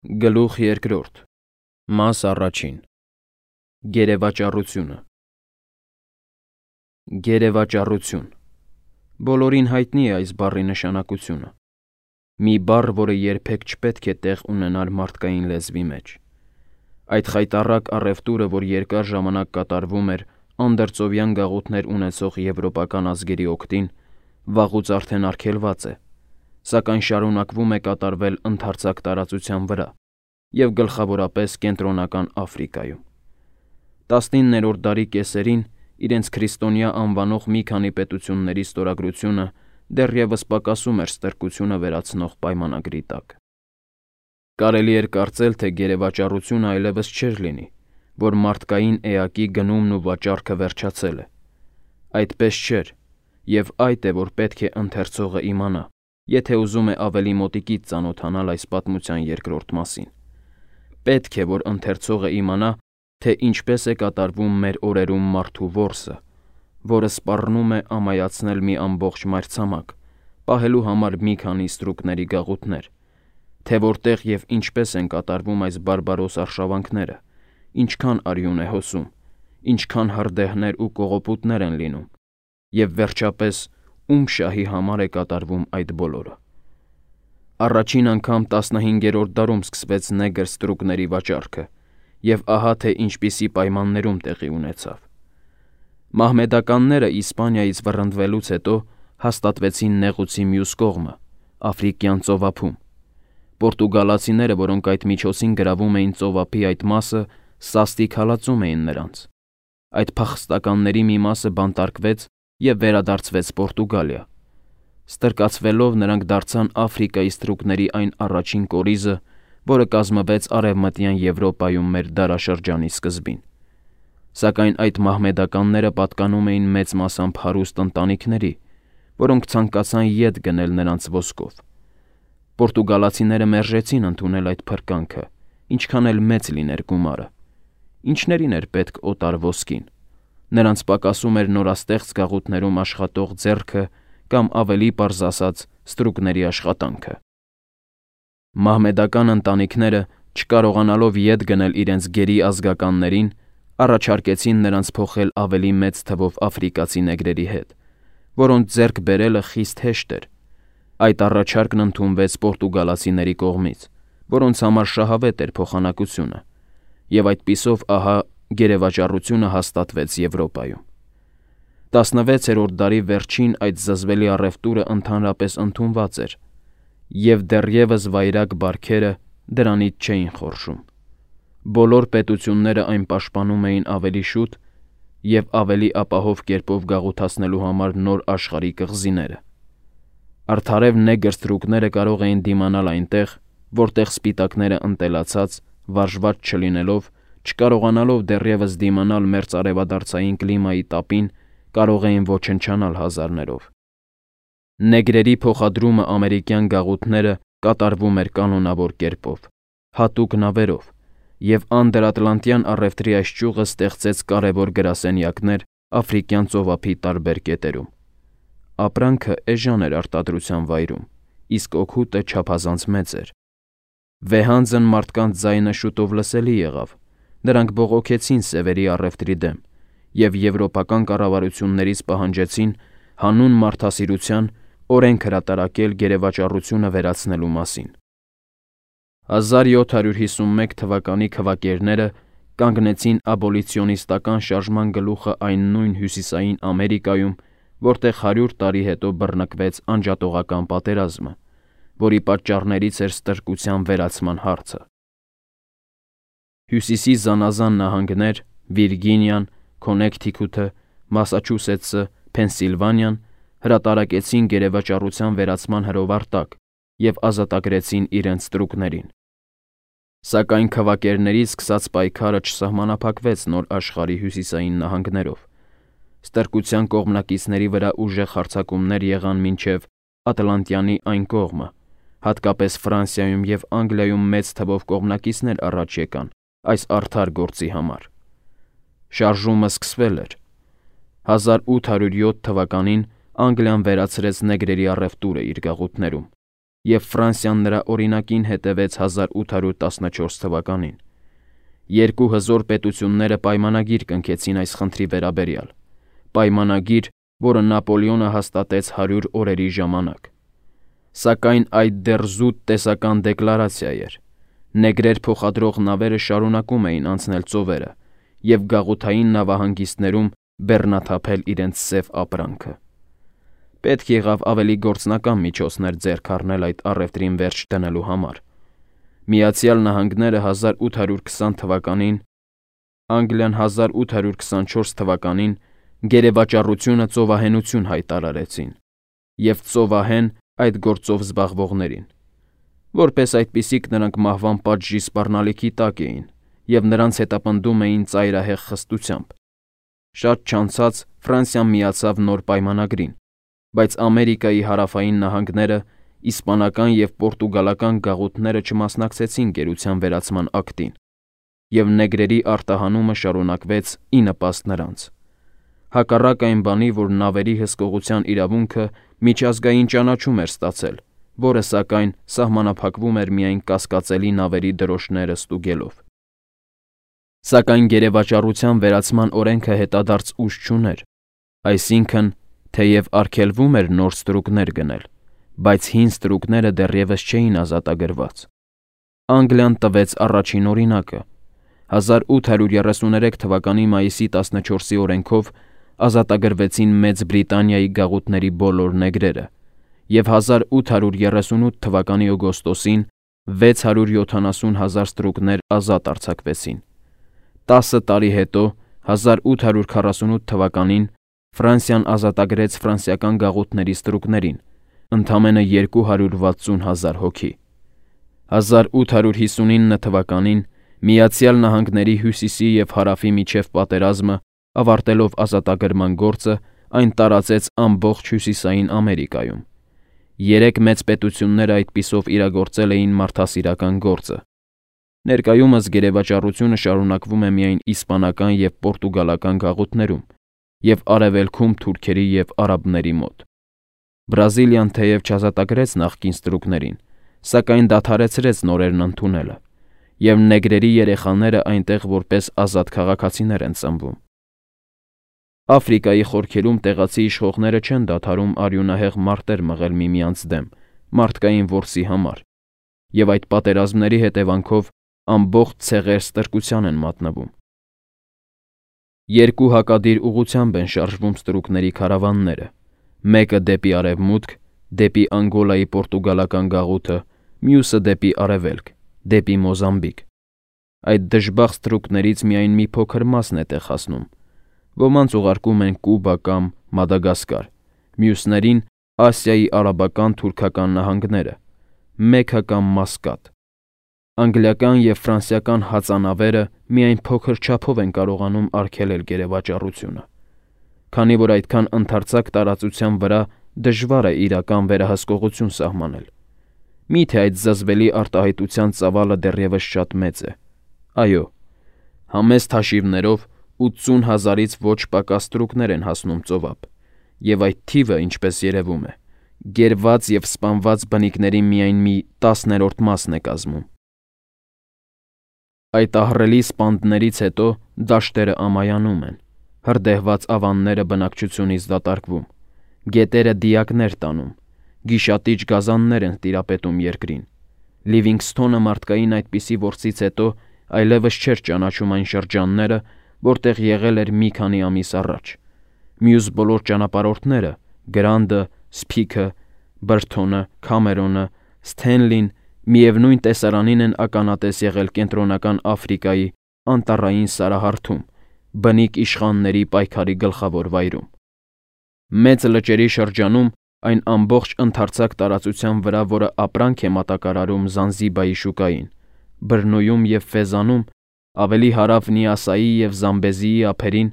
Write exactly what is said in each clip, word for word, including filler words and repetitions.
Գլուխ երկրորդ Մաս առաջին Գերեվաճառությունը Գերեվաճառություն Բոլորին հայտնի է այս բառի նշանակությունը։ Մի բառ, որը երբեք չպետք է տեղ ունենար մարդկային լեզվի մեջ։ Այդ խայտառակ առևտուրը, որ երկար ժամանակ կատարվում էր անդրծովյան գաղութներ ունեցող եվրոպական ազգերի օգտին, վաղուց արդեն արգելված է, սակայն շարունակվում է կատարվել ընդարձակ տարածության վրա և գլխավորապես Կենտրոնական Աֆրիկայում։ տասնիններորդ դարի կեսերին իրենց քրիստոնյա անվանող մի քանի պետությունների ստորագրությունը դեռևս պակասում էր ստրկությունը վերացնող պայմանագրի տակ։ Կարելի էր կարծել, թե գերեվաճառությունը այլևս չէր լինի, որ մարդկային էակի գնումն ու վաճառքը վերջացել է։ Այդպես չէր, և այդ է, որ պետք է ընթերցողը իմանա, եթե ուզում է ավելի մոտիկից ծանոթանալ այս պատմության երկրորդ մասին։ Պետք է, որ ընթերցողը իմանա, թե ինչպես է կատարվում մեր օրերում մարդու որսը, որը սպառնում է ամայացնել մի ամբողջ մայրցամաք, պահելու համար մի քանի ստրուկների գաղութներ, թե որտեղ և ինչպես են կատարվում այս բարբարոս արշավանքները, ինչքան արյուն է հոսում, ինչքան հրդեհներ ու կողոպուտներ են լինում, և վերջապես ում շահի համար է կատարվում այդ բոլորը։ Առաջին անգամ տասնհինգերորդ դարում սկսվեց նեգր ստրուկների վաճառքը, և ահա թե ինչպիսի պայմաններում տեղի ունեցավ։ Մահմեդականները Իսպանիայից վռնդվելուց հետո հաստատվեցին նեղուցի մյուս կողմը՝ Աֆրիկյան ծովափում։ Պորտուգալացիները, որոնք այդ միջոցին գրավում էին ծովափի այդ մասը, սաստիկ հալածում էին նրանց։ Այդ փախստականների մի մասը բանտարկվեց և վերադարձվեց Պորտուգալիա։ Ստրկացվելով նրանք դարձան Աֆրիկայի ստրուկների այն առաջին կորիզը, որը կազմվեց Արևմտյան Եվրոպայում մեր դարաշրջանի սկզբին։ Սակայն այդ մահմեդականները պատկանում էին մեծ մասամբ հարուստ ընտանիքների, որոնք ցանկացան ետ գնել նրանց ոսկով։ Պորտուգալացիները մերժեցին ընդունել այդ փրկանքը, ինչքան էլ մեծ լիներ գումարը։ Ինչներին էր պետք օտար ոսկին։ Նրանց պակասում էր նորաստեղծ գաղութներում աշխատող ձեռքը կամ ավելի պարզ ասած ստրուկների աշխատանքը։ Մահմեդական ընտանիքները, չկարողանալով ետ գնել իրենց գերի ազգականներին, առաջարկեցին նրանց փոխել ավելի մեծ թվով աֆրիկացի նեգրերի հետ, որոնց ձեռք բերելը խիստ հեշտ էր։ Այդ առաջարկն ընդունվեց պորտուգալացիների կողմից, որոնց համար շահավետ էր փոխանակությունը, և այդպիսով ահա գերեվաճառությունը հաստատվեց Եվրոպայում։ տասնվեցերորդ դարի վերջին այդ զզվելի առևտուրը ընդհանրապես ընդունված էր, և դեռևս վայրագ բարքերը դրանից չէին խորշում։ Բոլոր պետությունները այն պաշտպանում էին ավելի շուտ և ավելի ապահով կերպով գաղութացնելու համար նոր աշխարհի կղզիները։ Արդարև նեգր ստրուկները կարող էին դիմանալ այնտեղ, որտեղ սպիտակները ընտելացած, վարժված չլինելով, չկարողանալով դեռևս դիմանալ մերձարևադարձային կլիմայի տապին, կարող էին ոչնչանալ հազարներով։ Նեգրերի փոխադրումը ամերիկյան գաղութները կատարվում էր կանոնավոր կերպով, հատուկ նավերով, և անդրատլանտյան առևտրի այս ճյուղը ստեղծեց կարևոր գրասենյակներ Աֆրիկյան ծովափի տարբեր կետերում։ Ապրանքը էժան էր արտադրության վայրում, իսկ օգուտը չափազանց մեծ էր։ Վեհանձն մարդկանց ձայնը շուտով լսելի եղավ, նրանք բողոքեցին սևերի առևտրի դեմ և եվրոպական կառավարություններից պահանջեցին հանուն մարդասիրության օրենք հրատարակել գերեվաճառությունը վերացնելու մասին։ հազար յոթ հարյուր հիսունմեկ թվականի քվակերները կանգնեցին աբոլիցիոնիստական շարժման գլուխը այն նույն Հյուսիսային Ամերիկայում, որտեղ հարյուր տարի հետո բռնկվեց անջատողական պատերազմը, որի պատճառներից էր ստրկության վերացման հարցը։ Հյուսիսի զանազան նահանգներ՝ Վիրգինիան, Քոնեքթիքութը, Մասաչուսեթսը, Փենսիլվանիան հրատարակեցին գերեվաճառության վերացման հրովար տակ և ազատագրեցին իրենց ստրուկներին։ Սակայն քվակերներից սկսած պայքարը չսահմանափակվեց նոր աշխարհի հյուսիսային նահանգներով։ Ստրկության կողմնակիցների վրա ուժեղ հարձակումներ եղան մինչև Ատլանտյանի այն կողմը, հատկապես Ֆրանսիայում և Անգլիայում մեծ թվով կողմնակիցներ առաջ եկան այս արդար գործի համար։ Շարժումը սկսվել էր։ հազար ութ հարյուր յոթ թվականին Անգլիան վերացրեց նեգրերի առևտուրը իր գաղութներում, և Ֆրանսիան նրա օրինակին հետևեց հազար ութ հարյուր տասնչորս թվականին։ Երկու հզոր պետությունները պայմանագիր կնքեցին այս խնդրի վերաբերյալ, պայմանագիր, որը Նապոլեոնը հաստատեց հարյուր օրերի ժամանակ։ Սակայն այդ դեռ զուտ տեսական դեկլարացիա էր։ Նեգրեր փոխադրող նավերը շարունակում էին անցնել ծովերը և գաղութային նավահանգիստներում բեռնաթափել իրենց սև ապրանքը։ Պետք եղավ ավելի գործնական միջոցներ ձեռք առնել այդ առևտրին վերջ դնելու համար։ Միացյալ Նահանգները հազար ութ հարյուր քսան թվականին, Անգլիան հազար ութ հարյուր քսանչորս թվականին գերեվաճառությունը ծովահենություն հայտարարեցին և ծովահեն այդ գործով զբաղվողներին։ Որպես այդպիսիք նրանք մահվան պատժի սպառնալիքի տակ էին և նրանց հետապնդում էին ծայրահեղ խստությամբ։ Շատ չանցած Ֆրանսիան միացավ նոր պայմանագրին, բայց Ամերիկայի հարավային նահանգները, իսպանական և պորտուգալական գաղութները չմասնակցեցին գերության վերացման ակտին, և նեգրերի արտահանումը շարունակվեց ի նպաստ նրանց։ Հակառակ այն բանի, որ նավերի հսկողության իրավունքը միջազգային ճանաչում էր ստացել, որը, սակայն, սահմանափակվում էր միայն կասկածելի նավերի դրոշները ստուգելով։ Սակայն գերեվաճառության վերացման օրենքը հետադարձ ուժ չուներ, այսինքն, թեև արգելվում էր նոր ստրուկներ գնել, բայց հին ստրուկները դեռևս չէին ազատագրված։ Անգլիան տվեց առաջին օրինակը։ հազար ութ հարյուր երեսուներեք թվականի մայիսի տասնչորսի օրենքով ազատագրվեցին Մեծ Բրիտանիայի գաղութների բոլոր նեգրերը, և հազար ութ հարյուր երեսունութ թվականի օգոստոսին վեց հարյուր յոթանասուն հազար ստրուկներ ազատ արձակվեցին։ Տասը տարի հետո, հազար ութ հարյուր քառասունութ թվականին, Ֆրանսիան ազատագրեց ֆրանսիական գաղութների ստրուկներին, ընդամենը երկու հարյուր վաթսուն հազար հոգի։ հազար ութ հարյուր հիսունինը թվականին Միացյալ Նահանգների հյուսիսի և հարավի միջև պատերազմը, ավարտելով ազատագրման գործը, այն տարածեց ամբողջ Հյուսիսային Ամերիկայում։ Երեք մեծ պետությունները այդպիսով իրագործել էին մարդասիրական գործը։ Ներկայումս գերեվաճառությունը շարունակվում է միայն իսպանական և պորտուգալական գաղութներում և արևելքում թուրքերի և արաբների մոտ։ Բրազիլիան թեև չազատագրեց նախկին ստրուկներին, սակայն դադարեցրեց նորերն ընդունելը, և նեգրերի երեխաները այնտեղ որպես ազատ քաղաքացիներ են ծնվում։ Աֆրիկայի խորքերում տեղացի իշխողները չեն դադարում արյունահեղ մարտեր մղել միմյանց դեմ մարդկային որսի համար, և այդ պատերազմների հետևանքով ամբողջ ցեղեր ստրկության են մատնվում։ Երկու հակադիր ուղղությամբ են շարժվում ստրուկների քարավանները, մեկը դեպի արևմուտք, դեպի Անգոլայի պորտուգալական գաղութը, մյուսը դեպի արևելք, դեպի Մոզամբիկ։ Այդ դժբախտ ստրուկներից միայն մի փոքր մասն է տեղ հասնում։ Ոմանց ուղարկում են Կուբա կամ Մադագասկար, մյուսներին՝ Ասիայի արաբական թուրքական նահանգները, Մեքքա կամ Մասկատ։ Անգլիական և ֆրանսիական հածանավերը միայն փոքր չափով են կարողանում արգելել գերեվաճառությունը, քանի որ այդքան ընդարձակ տարածության վրա դժվար է իրական վերահսկողություն սահմանել։ Մի՞թե այդ զզվելի արտահայտության ծավալը դեռևս շատ մեծ է։ Այո, համեստ հաշիվներով ութսուն հազարից ոչ պակաս ստրուկներ են հասնում ծովափ, և այդ թիվը, ինչպես երևում է, գերված և սպանված բնիկների միայն մի տասներորդ մասն է կազմում։ Այդ ահռելի սպանդներից հետո դաշտերը ամայանում են, հրդեհված ավանները բնակչությունից դատարկվում, գետերը դիակներ տանում, գիշատիչ գազաններ են տիրապետում երկրին։ Լիվինգսթոնը մարդկային այդպիսի որսից հետո այլևս չէր ճանաչում այն շրջանները, որտեղ եղել էր մի քանի ամիս առաջ։ Մյուս բոլոր ճանապարհորդները՝ Գրանտը, Սփիքը, Բրթոնը, Քամերոնը, Սթենլին, միևնույն տեսարանին են ականատես եղել Կենտրոնական Աֆրիկայի անտառային սարահարթում, բնիկ իշխանների պայքարի գլխավոր վայրում։ Մեծ լճերի շրջանում, այն ամբողջ ընդարձակ տարածության վրա, որը ապրանք է մատակարարում Զանզիբայի շուկային, Բրնույում և Ֆեզանում, ավելի հարավ Նիասայի և Զամբեզիի ափերին,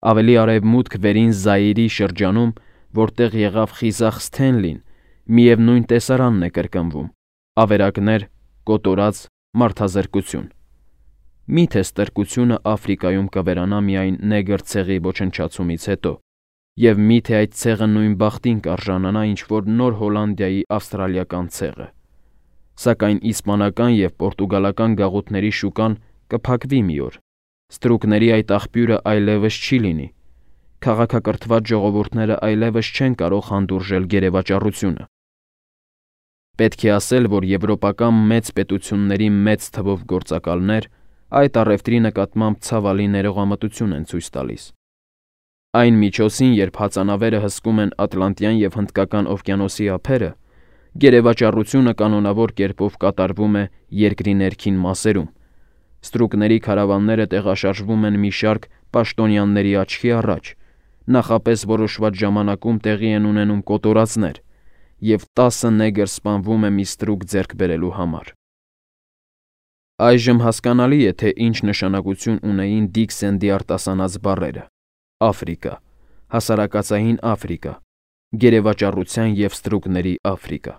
ավելի արևմուտք վերին Զաիրի շրջանում, որտեղ եղավ խիզախ Սթենլին, միևնույն տեսարանն է կրկնվում՝ ավերակներ, կոտորած, մարդազրկություն։ Մի՞թե ստրկությունը Աֆրիկայում կվերանա միայն նեգր ցեղի ոչնչացումից հետո, և մի՞թե այդ ցեղը նույն բախտին կարժանանա, ինչ որ Նոր Հոլանդիայի ավստրալիական ցեղը։ Սակայն իսպանական և պորտուգալական գաղութների շուկան կփակվի մի օր, ստրուկների այդ աղբյուրը այլևս չի լինի, քաղաքակրթված ժողովուրդները այլևս չեն կարող հանդուրժել գերեվաճառությունը։ Պետք է ասել, որ եվրոպական մեծ պետությունների մեծ թվով գործակալներ այդ առևտրի նկատմամբ ցավալի ներողամտություն են ցույց տալիս։ Այն միջոցին, երբ հածանավերը հսկում են Ատլանտյան և Հնդկական օվկիանոսի ափերը, գերեվաճառությունը կանոնավոր կերպով կատարվում է երկրի ներքին մասերում։ Ստրուկների քարավանները տեղաշարժվում են մի շարք պաշտոնյաների աչքի առաջ, նախապես որոշված ժամանակում տեղի են ունենում կոտորածներ, և տասը նեգր սպանվում է մի ստրուկ ձեռք բերելու համար։ Այժմ հասկանալի է, թե ինչ նշանակություն ունեին Դիքսենդի արտասանած բառերը. Աֆրիկա, հասարակածային Աֆրիկա, գերեվաճառության և ստրուկների Աֆրիկա։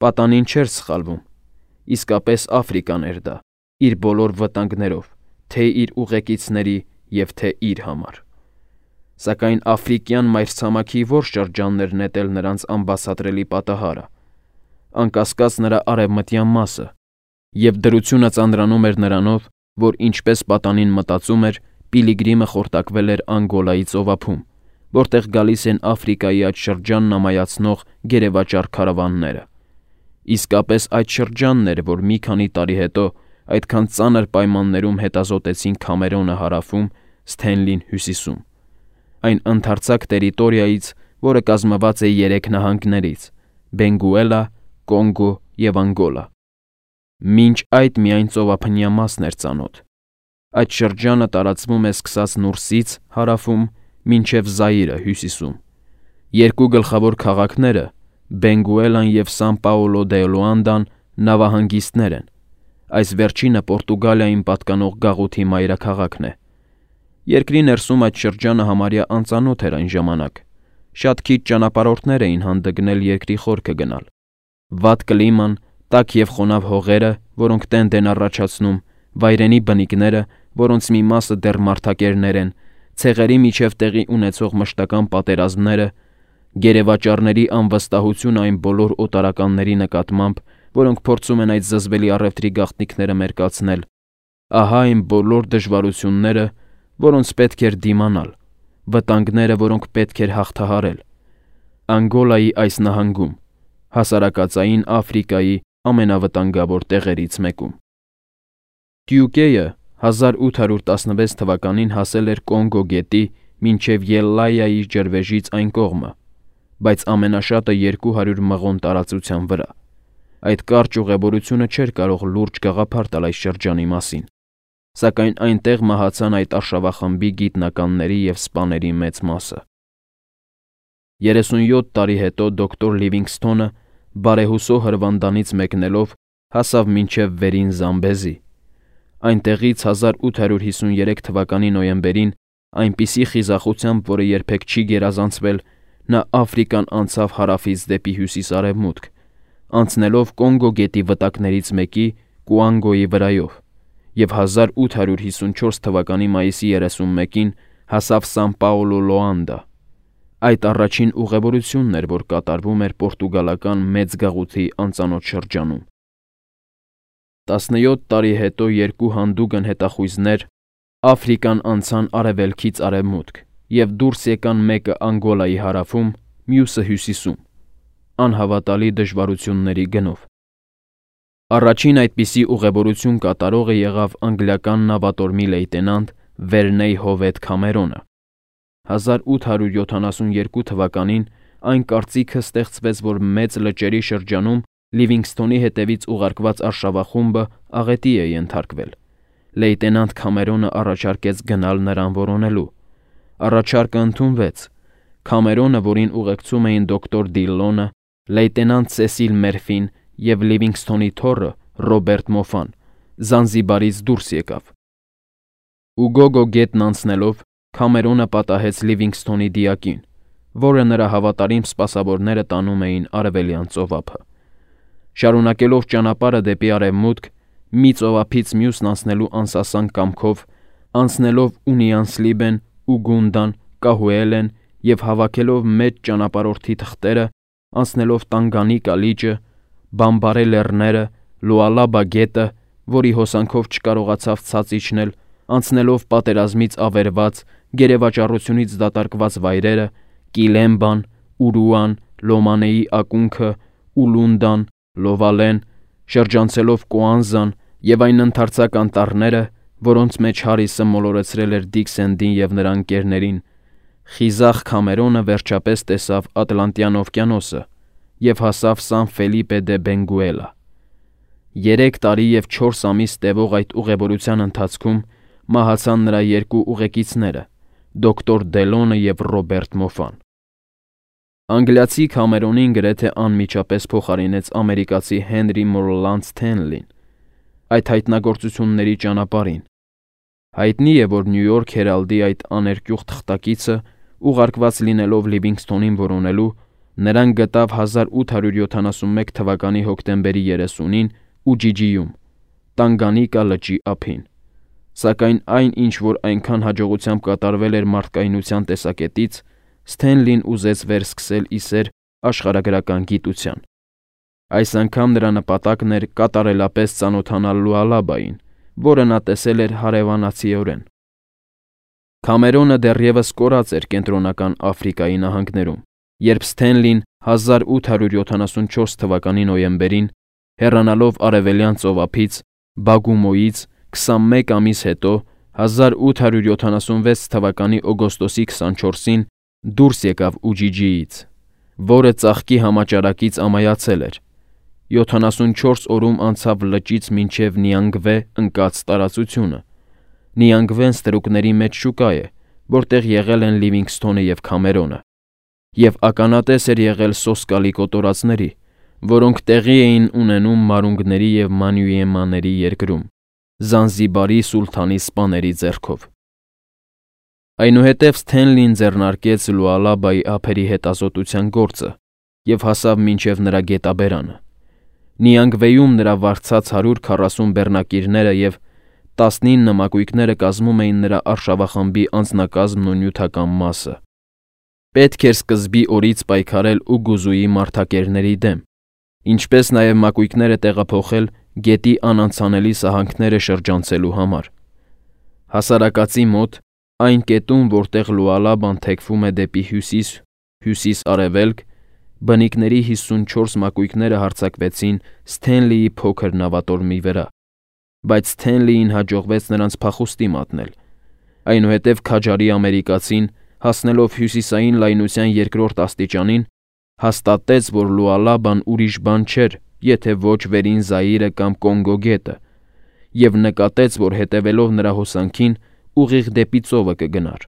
Պատանին չէր սխալվում, իսկապես Աֆրիկան էր դա, իր բոլոր վտանգներով, թե իր ուղեկիցների և թե իր համար։ Սակայն աֆրիկյան մայրցամաքի ո՞ր շրջանն էր նետել նրանց անբացատրելի պատահարը, անկասկած նրա արևմտյան մասը, և դրությունը ծանրանում էր նրանով, որ ինչպես պատանին մտածում էր, Պիլիգրիմը խորտակվել էր Անգոլայի ծովափում, որտեղ գալիս են Աֆրիկայի այդ շրջանն ամայացնող գերեվաճառ քարավանները։ Իսկապես այդ շրջանն էր, որ մի քանի տարի հետո այդքան ծանր պայմաններում հետազոտեցին Քամերոնը հարավում, Սթենլին հյուսիսում, այն ընդարձակ տերիտորիայից, որը կազմված է երեք նահանգներից՝ Բենգուելա, Կոնգո և Անգոլա։ Մինչ այդ միայն ծովափնյա մասն էր ծանոթ։ Այդ շրջանը տարածվում է սկսած Նուրսից հարավում մինչև Զայիրը հյուսիսում։ Երկու գլխավոր քաղաքները՝ Բենգուելան և Սան Պաոլո դե Լուանդան նավահանգիստներ են, այս վերջինը Պորտուգալիային պատկանող գաղութի մայրաքաղաքն է։ Երկրի ներսում այդ շրջանը համարյա անծանոթ էր այն ժամանակ, շատ քիչ ճանապարհորդներ էին հանդգնել երկրի խորքը գնալ։ Վատ կլիման, տաք և խոնավ հողերը, որոնք տենդ են առաջացնում, վայրենի բնիկները, որոնց մի մասը դեռ մարդակերներ են, ցեղերի միջև տեղի ունեցող մշտական պատերազմները, գերեվաճառների անվստահությունը այն բոլոր օտարականների նկատմամբ, որոնք փորձում են այդ զզվելի առևտրի գաղտնիքները մերկացնել, ահա այն բոլոր դժվարությունները, որոնց պետք էր դիմանալ, վտանգները, որոնք պետք էր հաղթահարել։ Անգոլայի այս նահանգում, հասարակածային Աֆրիկայի ամենավտանգավոր տեղերից մեկում։ Տյուկեյը հազար ութ հարյուր տասնվեց թվականին հասել էր Կոնգո գետի մինչև Ելլայայի ջրվեժից այն կողմը, բայց ամենաշատը երկու հարյուր մղոն տարածության վրա։ Այդ կարճ ուղևորությունը չէր կարող լուրջ գաղափար տալ այս շրջանի մասին, սակայն այնտեղ մահացան այդ արշավախմբի գիտնականների և սպաների մեծ մասը։ երեսունյոթ տարի հետո դոկտոր Լիվինգսթոնը բարեհուսո հրվանդանից մեկնելով հասավ մինչև Վերին Զամբեզի։ Այնտեղից հազար ութ հարյուր հիսունյերեք թվականի նոյեմբերին այնպիսի խիզախությամբ, որը երբեք չի գերազանցվել, նա Աֆրիկան անցավ հարավից դեպի հյուսիս-արևմուտք, անցնելով Կոնգո գետի վտակներից մեկի Կուանգոյի վրայով, և հազար ութ հարյուր հիսունչորս թվականի մայիսի երեսունմեկին հասավ Սան Պաոլո Լոանդա։ Այդ առաջին ուղևորությունն էր, որ կատարվում էր պորտուգալական մեծ գաղութի անծանոթ շրջանում։ տասնյոթ տարի հետո երկու հանդուգն հետախույզներ Աֆրիկան անցան արևելքից արևմուտք և դուրս եկան մեկը Անգոլայի հարավում, մյուսը հյուսիսում, անհավատալի դժվարությունների գնով։ Առաջին այդպիսի ուղևորություն կատարողը եղավ անգլիական նավատորմի լեյտենանտ Վերնեյ Հովեթ Քամերոնը։ հազար ութ հարյուր յոթանասունյերկու թվականին այն կարծիքը ստեղծվեց, որ մեծ լճերի շրջանում Լիվինգսթոնի հետևից ուղարկված արշավախումբը աղետի է ենթարկվել։ Լեյտենանտ Քամերոնը առաջարկեց գնալ նրան որոնելու։ Առաջարկը ընդունվեց։ Քամերոնը, որին ուղեկցում էին դոկտոր Դիլլոնը, լեյտենանտ Սեսիլ Մերֆին և Լիվինգսթոնի թոռը Ռոբերտ Մոֆան, Զանզիբարից դուրս եկավ։ Ուգոգո գետն անցնելով Քամերոնը պատահեց Լիվինգսթոնի դիակին, որը նրա հավատարիմ սպասավորները տանում էին արևելյան ծովափը։ Շարունակելով ճանապարհը դեպի արևմուտք, մի ծովափից մյուսն անցնելու անսասան կամքով, անցնելով Ունիան Սլիբեն, Ուգունդան, Կահուելեն և հավաքելով մեծ ճանապարհորդի թղթերը, անցնելով Տանգանիկա լիճը, Բամբարե լեռները, Լուալաբա գետը, որի հոսանքով չկարողացավ ցած իջնել, անցնելով պատերազմից ավերված, գերեվաճառությունից դատարկված վայրերը, Կիլեմբան, Ուրուան, Լոմանեի ակունքը, Ուլունդան, Լովալեն, շրջանցելով Կոանզան և այն ընդարձակ անտառները, որոնց մեջ Հարիսը մոլորեցրել էր Դիքսենդին և նրա ընկերներին, խիզախ Քամերոնը վերջապես տեսավ Ատլանտյան օվկիանոսը և հասավ Սան Ֆելիպե դե Բենգուելա։ Երեք տարի և չորս ամիս տևող այդ ուղևորության ընթացքում մահացան նրա երկու ուղեկիցները՝ դոկտոր Դելոնը և Ռոբերտ Մոֆան։ Անգլիացի Քամերոնին գրեթե անմիջապես փոխարինեց ամերիկացի Հենրի Մորլանդ Սթենլին այդ հայտնագործությունների ճանապարհին։ Հայտնի է, որ Նյու Յորք Հերալդի այդ աներկյուղ թղթակիցը, ուղարկված լինելով Լիվինգսթոնին որոնելու, նրան գտավ հազար ութ հարյուր յոթանասունմեկ թվականի հոկտեմբերի երեսունին Ուջիջիում, Տանգանիկա լճի ափին։ Սակայն այն, ինչ որ այնքան հաջողությամբ կատարվել էր մարդկայնության տեսակետից, Սթենլին ուզեց վերսկսել ի սեր աշխարհագրական գիտության։ Այս անգամ նրա նպատակն էր կատարելապես ծանոթանալ Լուալաբային, որը նա տեսել էր հարևանացիորեն։ Քամերոնը դեռևս կորած էր Կենտրոնական Աֆրիկայի նահանգներում, երբ Սթենլին հազար ութ հարյուր յոթանասունչորս թվականի նոյեմբերին, հեռանալով Արևելյան ծովափից, Բագումոյից քսանմեկ ամիս հետո, հազար ութ հարյուր յոթանասունվեց թվականի օգոստոսի քսանչորսին դուրս եկավ Ուջիջիից, որը ծաղկի համաճարակից ամայացել էր։ յոթանասունչորս օրում անցավ լճից մինչև Նիանգվե ընկած տարածությունը։ Նիանգվեն ստրուկների մեջ շուկա է, որտեղ եղել են Լիվինգսթոնը և Քամերոնը, և ականատես էր եղել սոսկալի կոտորածների, որոնք տեղի էին ունենում Մարունգների և Մանյուեմանների երկրում, Զանզիբարի սուլթանի սպաների ձեռքով։ Այնուհետև Սթենլին ձեռնարկեց Լուալաբայի ափերի հետազոտության գործը և հասավ մինչև նրա գետաբերանը։ Նիանգվեում նրա վարձած հարյուր քառասուն բեռնակիրները և տասնինը մակույկները կազմում էին նրա արշավախմբի անձնակազմն ու նյութական մասը։ Պետք էր սկզբի օրից պայքարել Ուգուզուի մարդակերների դեմ, ինչպես նաև մակույկները տեղափոխել գետի անանցանելի սահանքները շրջանցելու համար։ Հասարակածի մոտ, այն կետում, որտեղ Լուալաբան թեքվում է դեպի հյուսիս, հյուսիս֊արևելք, բնիկների հիսունչորս մակույկները հարձակվեցին Սթենլիի փոքր նավատորմի վրա, բայց Սթենլիին հաջողվեց նրանց փախուստի մատնել։ Այնուհետև քաջարի ամերիկացին, հասնելով հյուսիսային լայնության երկրորդ աստիճանին, հաստատեց, որ Լուալաբան ուրիշ բան չէր, եթե ոչ Վերին Զաիրը կամ Կոնգո գետը, և նկատեց, որ հետևելով նրա հոսանքին ուղիղ դեպի ծովը կգնար։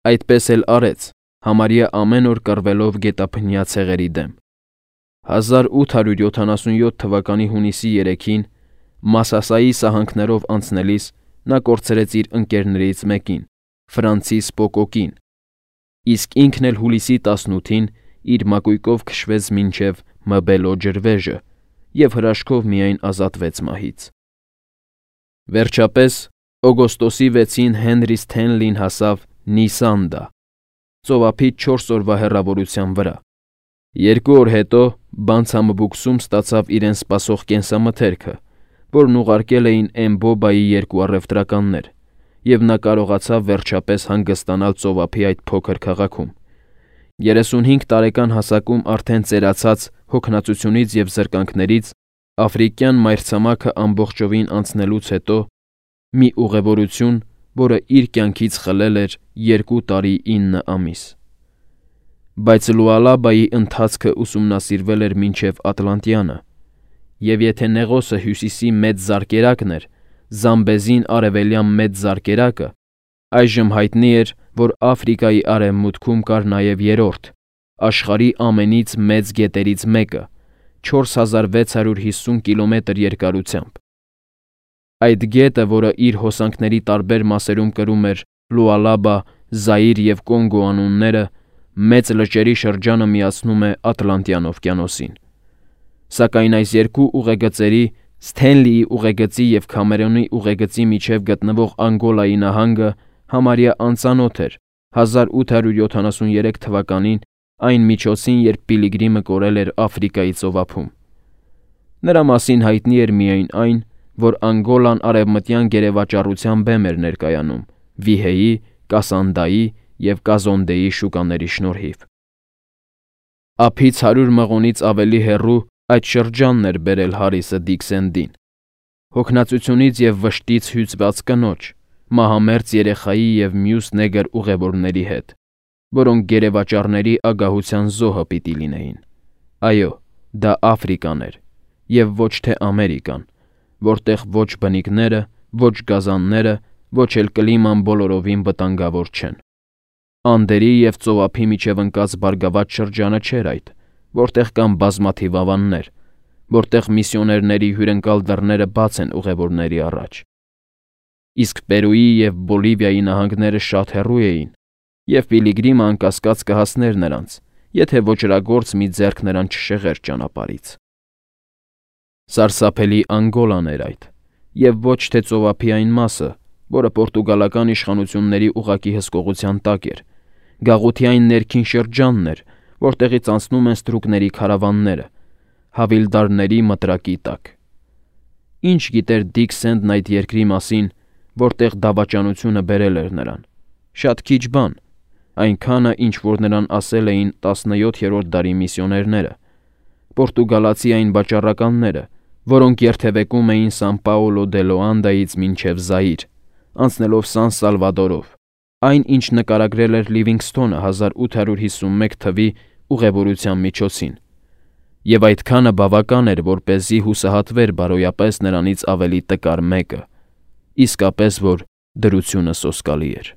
Այդպես էլ արեց, համարյա ամեն օր կռվելով գետափնյա ցեղերի դեմ։ հազար ութ հարյուր յոթանասունյոթ թվականի հունիսի երեքին, Մասասայի սահանքներով անցնելիս, նա կորցրեց իր ընկերներից մեկին՝ Ֆրանցիս Պոկոկին, իսկ ինքն էլ հուլիսի տասնութին իր մակույկով քշվեց մինչև Մբելո ջրվեժը և հրաշքով միայն ազատվեց մահից։ Վերջապես, օգոստոսի վեցին Հենրի Սթենլին հասավ Նիսանդա, ծովափից չորս օրվա հեռավորության վրա։ Երկու օր հետո Բանցամբուքսում ստացավ իրեն սպասող կենսամթերքը, որն ուղարկել էին Էմբոբայի երկու առևտրականներ, և նա կարողացավ վերջապես հանգստանալ ծովափի այդ փոքր քաղաքում։ երեսունհինգ տարեկան հասակում արդեն ծերացած հոգնածությունից և զրկանքներից, աֆրիկյան մայրցամաքը ամբողջովին անցնելուց հետո, մի ուղևորություն, որը իր կյանքից խլել էր երկու տարի ինը ամիս։ Բայց Լուալաբայի ընթացքը ուսումնասիրվել էր մինչև Ատլանտյանը, և եթե Նեղոսը հյուսիսի մեծ զարկերակն էր, Զամբեզին արևելյան մեծ զարկերակը, այժմ հայտնի էր, որ Աֆրիկայի արևմուտքում կար նաև երրորդ, աշխարհի ամենից մեծ գետերից մեկը՝ չորս հազար վեց հարյուր հիսուն կիլոմետր երկարությամբ։ Այդ գետը, որը իր հոսանքների տարբեր մասերում կրում էր Լուալաբա, Զաիր և Կոնգո անունները, մեծ լճերի շրջանը միացնում է Ատլանտյան օվկիանոսին։ Սակայն այս երկու ուղեգծերի՝ Սթենլիի ուղեգծի և Քամերոնի ուղեգծի միջև գտնվող Անգոլայի նահանգը համարյա անծանոթ էր հազար ութ հարյուր յոթանասուներեք թվականին այն միջոցին, երբ Պիլիգրիմը կորել էր Աֆրիկայի ծովափում։ Նրա մասին հայտնի էր միայն այն, որ Անգոլան արևմտյան գերեվաճառության բեմ էր ներկայանում Վիհեի, Կասանդայի և Կազոնդեի շուկաների շնորհիվ։ Ափից հարյուր մղոնից ավելի հեռու այդ շրջանն էր բերել Հարիսը Դիքսենդին, հոգնածությունից և վշտից հյուծված կնոջ, մահամերձ երեխայի և մյուս նեգր ուղևորների հետ, որոնք գերեվաճառների ագահության զոհը պիտի լինեին։ Այո, դա Աֆրիկան էր, և ոչ թե Ամերիկան, որտեղ ոչ բնիկները, ոչ գազանները, ոչ էլ կլիման բոլորովին վտանգավոր չեն։ Անդերի և ծովափի միջև ընկած բարգավաճ շրջանը չէր այդ, որտեղ կան բազմաթիվ ավաններ, որտեղ միսիոներների հյուրընկալ դռները բաց են ուղևորների առաջ։ Իսկ Պերուի և Բոլիվիայի նահանգները շատ հեռու էին, և Պիլիգրիմը անկասկած կհասներ նրանց, եթե ոճրագործ մի ձեռք նրան չշեղեր ճանապարհից։ Սարսափելի Անգոլան էր այդ, և ոչ թե ծովափի այն մասը, որը պորտուգալական իշխանությունների ուղղակի հսկողության տակ էր, գաղութի այն ներքին շրջանն էր, որտեղից անցնում են ստրուկների քարավանները, հավիլդարների մտրակի տակ։ Ինչ գիտեր Դիքսենդն այդ երկրի մասին, որտեղ դավաճանությունը բերել էր նրան։ Շատ քիչ բան, այնքանը, ինչ որ նրան ասել էին տասնյոթերորդ դարի միսիոներները, պորտուգալացի այն վաճառականները, որոնք երթևեկում էին Սան Պաուլո դե Լոանդայից մինչև Զաիր, անցնելով Սան Սալվադորով, այն, ինչ նկարագրել էր Լիվինգսթոնը հազար ութ հարյուր հիսունմեկ թվականի ուղևորության միջոցին, և այդքանը բավական էր, որպեսզի հուսահատվեր բարոյապես նրանից ավելի տկար մեկը, իսկապես որ դրությունը սոսկալի էր։